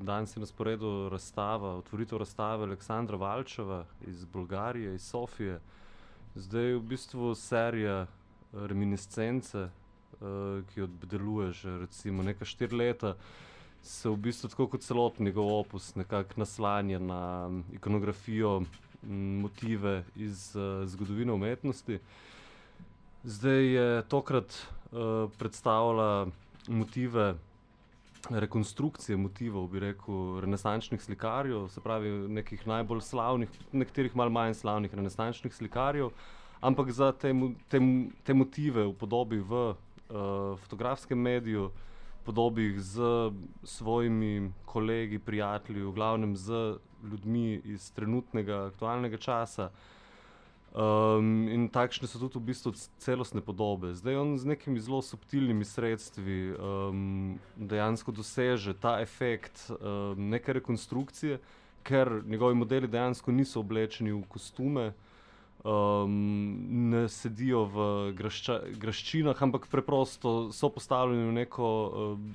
danes je na sporedu otvoritev razstave Aleksandra Valčeva iz Bolgarije, iz Sofije. Zdaj v bistvu serija Reminiscence, ki jo obdeluje že recimo neka 4 leta, se v bistvu tako kot celoten njegov opus nekako naslanja na ikonografijo, motive iz zgodovine umetnosti. Zdaj je tokrat predstavila motive rekonstrukcije motivov, bi rekel, renesančnih slikarjev, se pravi nekih najbolj slavnih, nekaterih malo manj slavnih renesančnih slikarjev, ampak za te motive upodobi v fotografskem mediju, podobi jih s svojimi kolegi, prijatelji, v glavnem z ljudmi iz trenutnega aktualnega časa. In takšne so tudi v bistvu celostne podobe. Zdaj on z nekimi zelo subtilnimi sredstvi dejansko doseže ta efekt neke rekonstrukcije, ker njegovi modeli dejansko niso oblečeni v kostume, ne sedijo v graščinah, ampak preprosto so postavljeni v neko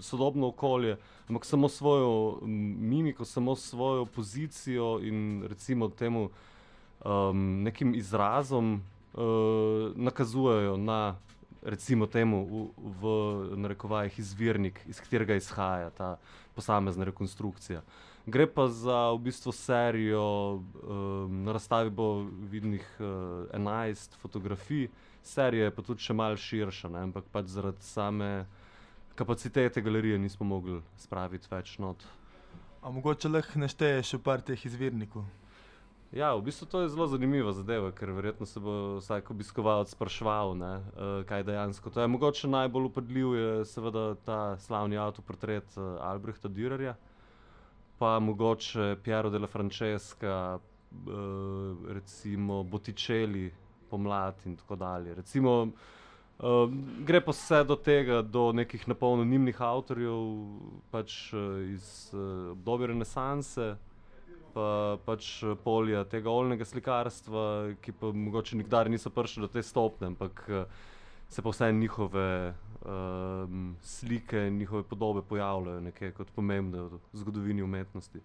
sodobno okolje, ampak samo svojo mimiko, samo svojo pozicijo in recimo temu nekim izrazom nakazujejo na, recimo temu v narekovajih, izvirnik, iz katerega izhaja ta posamezna rekonstrukcija. Gre pa za v bistvu serijo, na razstavi bo vidnih 11 fotografij, serija je pa tudi še malo širša, ne, ampak pač zaradi same kapacitete galerije nismo mogli spraviti več not. A mogoče lahko našteješ še par teh izvirnikov? Ja, v bistvu to je zelo zanimiva zadeva, ker verjetno se bo vsak obiskovalec spraševal, ne, kaj dejansko to je. Mogoče najbolj vpadljiv je seveda ta slavni avtoportret Albrehta Dürerja, pa mogoče Piero della Francesca, recimo Botticelli Pomlad in tako dalje. Recimo gre pa vse do tega, do nekih na pol anonimnih avtorjev, pač iz obdobja renesanse, pa pač polja tega oljnega slikarstva, ki pa mogoče nikdar niso prišli do te stopnje, ampak se pa vseeno njihove slike, njihove podobe pojavljajo nekje kot pomembne v zgodovini umetnosti.